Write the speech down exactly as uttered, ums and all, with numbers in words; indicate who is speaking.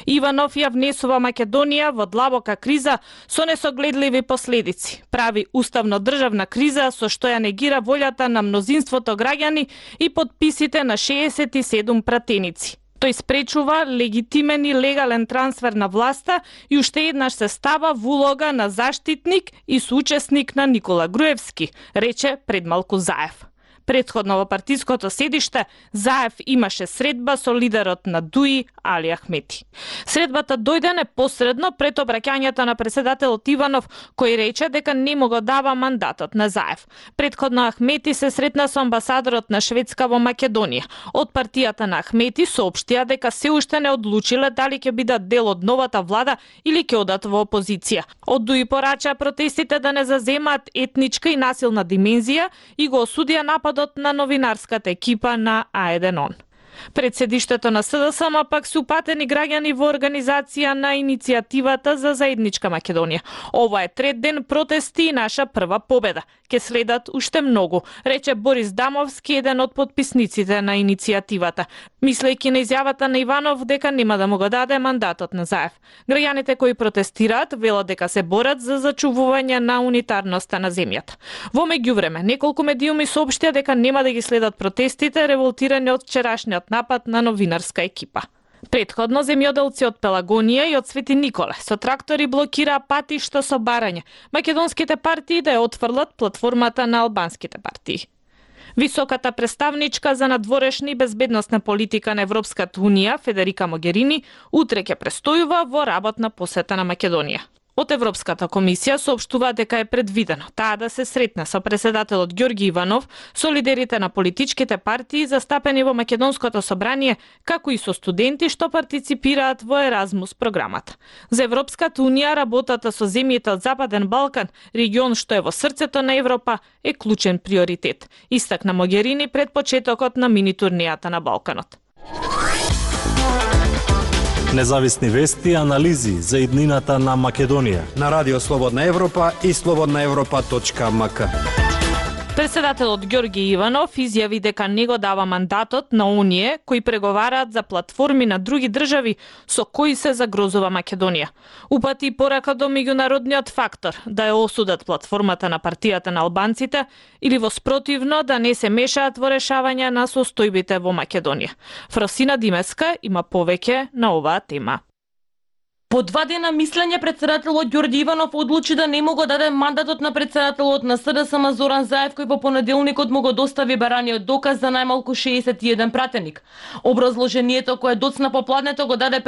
Speaker 1: Иванов ја внесува Македонија во длабока криза со несогледливи последици. Прави уставно-државна криза со што ја негира волјата на мнозинството граѓани и подписите на шеесет и седум пратеници. Тој спречува легитимен и легален трансфер на власта и уште еднаш се става во улога на заштитник и соучесник на Никола Груевски, рече пред малку Заев. Претходно во партиското седиште, Заев имаше средба со лидерот на ДУИ Али Ахмети. Средбата дојде непосредно пред обраќањето на председателот Иванов, кој рече дека не му го дава мандатот на Заев. Претходно Ахмети се сретна со амбасадорот на Шведска во Македонија. Од партијата на Ахмети соопштија дека се уште не одлучиле дали ќе бидат дел од новата влада или ќе одат во опозиција. Од ДУИ порача протестите да не заземаат етничка и насилна димензија и го осудија нападот на новинарската екипа на А еден он. Пред седиштето на СДСМ пак се упатени граѓани во организација на иницијативата за заедничка Македонија. Ова е трет ден протести и наша прва победа. Ке следат уште многу, рече Борис Дамовски, еден од подписниците на иницијативата, мислејќи на изјавата на Иванов дека нема да му го даде мандатот на Заев. Граѓаните кои протестираат велат дека се борат за зачувување на унитарноста на земјата. Во меѓувреме, неколку медиуми соопштија дека нема да ги следат протестите револтирани од вчерашниот напад на новинарска екипа. Претходно земјоделци од Пелагонија и од Свети Николе со трактори блокираа патишта со барање македонските партии да ја отфрлат платформата на албанските партии. Високата представничка за надворешна и безбедносна политика на Европската унија, Федерика Могерини, утре ќе престојува во работна посета на Македонија. Од Европската комисија соопштува дека е предвидено таа да се сретне со председателот Ѓорги Иванов, со лидерите на политичките партии застапени во Македонското собрание, како и со студенти што партиципираат во Еразмус програмата. За Европската унија работата со земјите од Западен Балкан, регион што е во срцето на Европа, е клучен приоритет, истакна Могерини пред почетокот на мини турнијата на Балканот.
Speaker 2: Независни вести и анализи за иднината на Македонија
Speaker 3: на Радио Слободна Европа и слободна европа точка ем ка.
Speaker 1: Председателот Ѓорги Иванов изјави дека не го дава мандатот на оние кои преговараат за платформи на други држави со кои се загрозува Македонија. Упати порака до меѓународниот фактор да ја осудат платформата на партијата на албанците или во спротивно да не се мешаат во решавање на состојбите во Македонија. Фросина Димеска има повеќе на оваа тема.
Speaker 4: По два дена мислење председателот Ѓорѓи Иванов одлучи да не му го даде мандатот на председателот на СДСМ Зоран Заев, кој во понеделникот му го достави бараниот доказ за најмалку шеесет и еден пратеник. Образложението кое доцна попладнето го даде